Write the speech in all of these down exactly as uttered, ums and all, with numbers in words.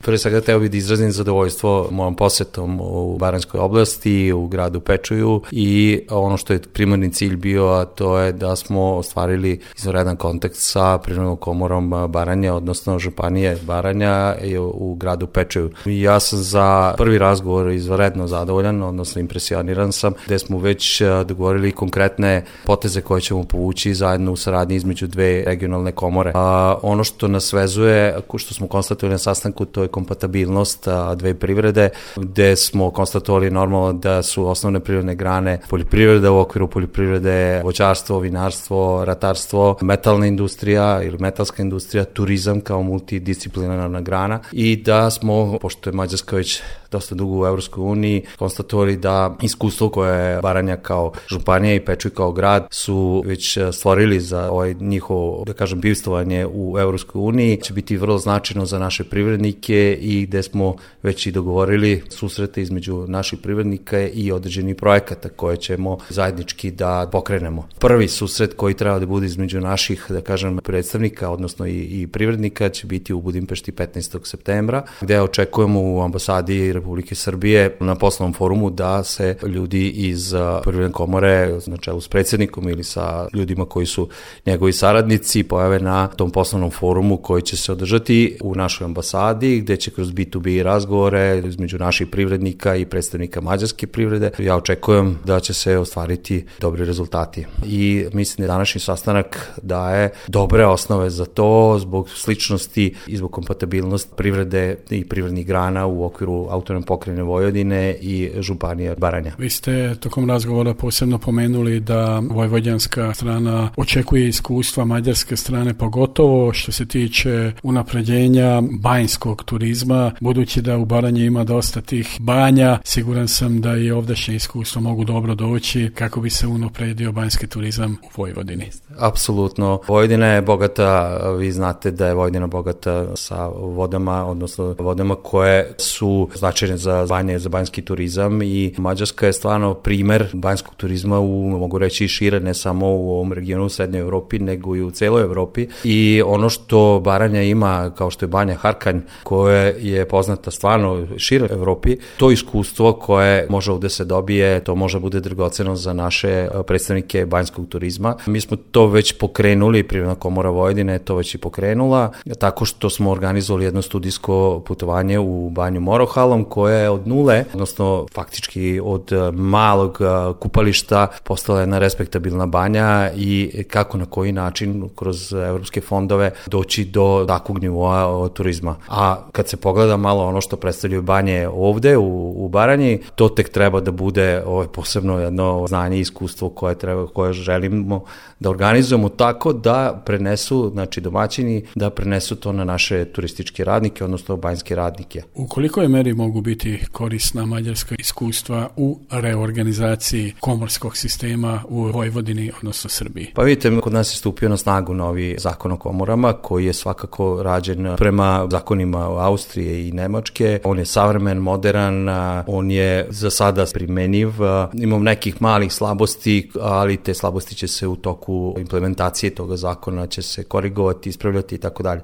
Prvo svega teo bih da izrazim zadovoljstvo mojom posetom u Baranjskoj oblasti, u gradu Pečuju i ono što je primarni cilj bio, a to je da smo ostvarili izvanredan kontakt sa Privrednom komorom Baranje, odnosno Županije Baranja u gradu Pečuju. Ja sam za prvi razgovor izvanredno zadovoljan, odnosno impresioniran sam, gde smo već dogovorili konkretne poteze koje ćemo povući zajedno u saradnji između dve regionalne komore. A ono što nas vezuje, što smo konstatovali na sastanku, to je kompatibilnost dve privrede, gde smo konstatovali normalno da su osnovne privredne grane poljoprivreda, u okviru poljoprivrede voćarstvo, vinarstvo, ratarstvo, metalna industrija ili metalska industrija, turizam kao multidisciplinarna grana i da smo, pošto je Mađarska već dosta dugo u Evropskoj uniji, konstatovali da iskustvo koje je Baranja kao županija i Pečuj kao grad su već stvorili za ovaj njihovo, da kažem, bivstvovanje u Evropskoj uniji, će biti vrlo značajno za naše privrednike i gde smo već i dogovorili susrete između naših privrednika i određenih projekata koje ćemo zajednički da pokrenemo. Prvi susret koji treba da bude između naših, da kažem, predstavnika, odnosno i, i privrednika, će biti u Budimpešti petnaestog septembra, gde očekujemo u ambasadi Republike Srbije na poslovnom forumu da se ljudi iz Privredne komore, na čelu s predsjednikom ili sa ljudima koji su njegovi saradnici, pojave na tom poslovnom forumu koji će se održati u našoj ambasadi, gde će kroz bi tu bi razgovore između naših privrednika i predstavnika mađarske privrede. Ja očekujem da će se ostvariti dobri rezultati. I mislim da današnji sastanak daje dobre osnove za to zbog sličnosti i zbog kompatibilnosti privrede i privrednih grana u okviru autonomne pokrajine Vojvodine i Županije Baranja. Vi ste tokom razgovora posebno pomenuli da vojvođanska strana očekuje iskustva mađarske strane, pogotovo što se tiče unapređenja banjskog turizma, budući da u Baranji ima dosta tih banja, siguran sam da i ovdašnje iskustvo mogu dobro doći kako bi se unapredio banjski turizam u Vojvodini. Apsolutno. Vojvodina je bogata, vi znate da je Vojvodina bogata sa vodama, odnosno vodama koje su značajne za banje, za banjski turizam i Mađarska je stvarno primer banjskog turizma u, mogu reći, šire, ne samo u ovom regionu u Srednjoj Evropi, nego i u celoj Evropi. I ono što Baranja ima, kao što je banja Harkanj, koje je poznata stvarno šire Evropi, to iskustvo koje može ovde se dobije, to može bude dragoceno za naše predstavnike banjskog turizma. Mi smo to već pokrenuli, Privredna komora Vojvodine je to već i pokrenula, tako što smo organizovali jedno studijsko putovanje u banju Morohalom, koje je od nule, odnosno faktički od malog kupališta postala jedna respektabilna banja i kako na koji način kroz evropske fondove doći do takvog nivoa turizma. A kad se pogleda malo ono što predstavljaju banje ovde u, u Baranji, to tek treba da bude ovaj, posebno jedno znanje i iskustvo koje, treba, koje želimo da organizujemo tako da prenesu, znači domaćini, da prenesu to na naše turističke radnike, odnosno banjske radnike. U kolikoj meri mogu biti korisna mađarska iskustva u reorganizaciji komorskog sistema u Vojvodini, odnosno Srbiji? Pa vidite, kod nas je stupio na snagu novi zakon o komorama, koji je svakako rađen prema zakonima Austrije i Nemačke. On je savremen, modern, on je za sada primenjiv. Imam nekih malih slabosti, ali te slabosti će se u toku implementacije toga zakona će se korigovati, ispravljati i tako dalje.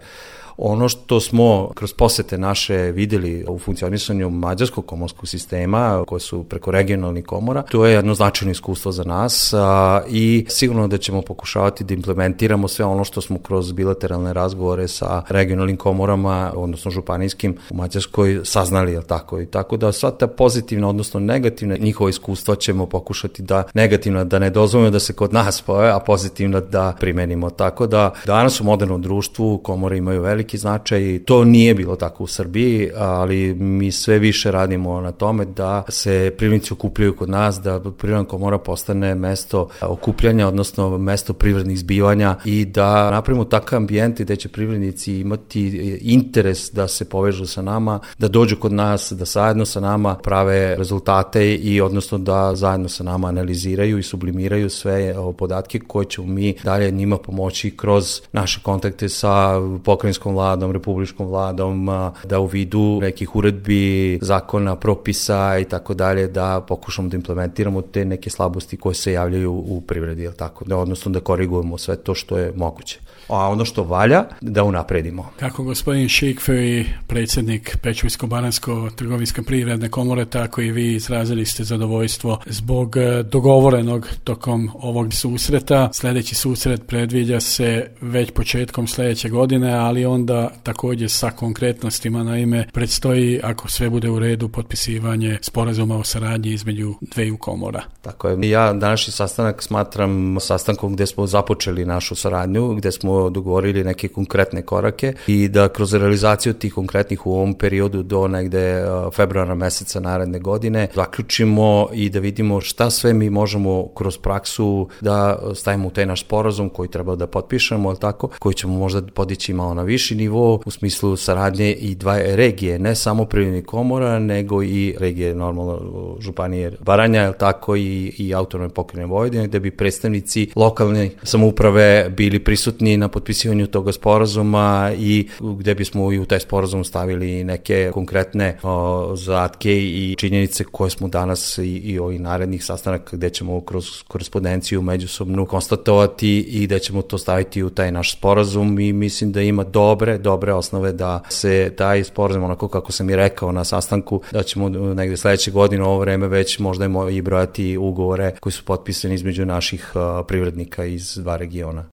Ono što smo kroz posete naše videli u funkcionisanju mađarskog komorskog sistema, koje su preko regionalnih komora, to je jedno značajno iskustvo za nas a, i sigurno da ćemo pokušavati da implementiramo sve ono što smo kroz bilateralne razgovore sa regionalnim komorama, odnosno županijskim u Mađarskoj saznali, je tako? I tako da sva ta pozitivna, odnosno negativna njihova iskustva ćemo pokušati da negativna da ne dozvolimo da se kod nas pojave, a pozitivna da primenimo. Tako da danas u modernom društvu komore imaju veliki značaj. To nije bilo tako u Srbiji, ali mi sve više radimo na tome da se privrednici okupljaju kod nas, da Privredna komora postane mesto okupljanja, odnosno mesto privrednih zbivanja i da napravimo takav ambijent gde će privrednici imati interes da se povežu sa nama, da dođu kod nas, da zajedno sa nama prave rezultate i odnosno da zajedno sa nama analiziraju i sublimiraju sve podatke koje ćemo mi dalje njima pomoći kroz naše kontakte sa pokrajinskom vladom, republičkom vladom, da u vidu nekih uredbi, zakona, propisa i tako dalje, da pokušamo da implementiramo te neke slabosti koje se javljaju u privredi, je li tako? Da, odnosno da korigujemo sve to što je moguće. A ono što valja, da unapredimo. Kako gospodin Šikferi, predsjednik Pečujsko-baranjsko trgovinsko-privredne komore, tako i vi izrazili ste zadovoljstvo zbog dogovorenog tokom ovog susreta. Sljedeći susret predviđa se već početkom sljedeće godine, ali onda također sa konkretnostima, naime predstoji, ako sve bude u redu, potpisivanje sporazuma o saradnji između dveju komora. Tako je. Ja današnji sastanak smatram sastankom gde smo započeli našu saradnju, gde smo dogovorili neke konkretne korake i da kroz realizaciju tih konkretnih u ovom periodu do negde februara meseca naredne godine zaključimo i da vidimo šta sve mi možemo kroz praksu da stavimo u taj naš sporazum koji treba da potpišemo, ali tako, koji ćemo možda podići malo na viši nivo u smislu saradnje i dva regije, ne samo privrednih komora, nego i regije normalno županije Baranja, ali tako i, i autonomne pokrajine Vojvodine, gde bi predstavnici lokalne samouprave bili prisutni na potpisivanju toga sporazuma i gde bismo i u taj sporazum stavili neke konkretne o, zadatke i činjenice koje smo danas i, i ovih narednih sastanaka gde ćemo kroz korespondenciju međusobnu konstatovati i da ćemo to staviti u taj naš sporazum i mislim da ima dobre, dobre osnove da se taj sporazum, onako kako sam i rekao na sastanku, da ćemo negde sledeće godine u ovo vreme već možda i brojati ugovore koji su potpisani između naših privrednika iz dva regiona.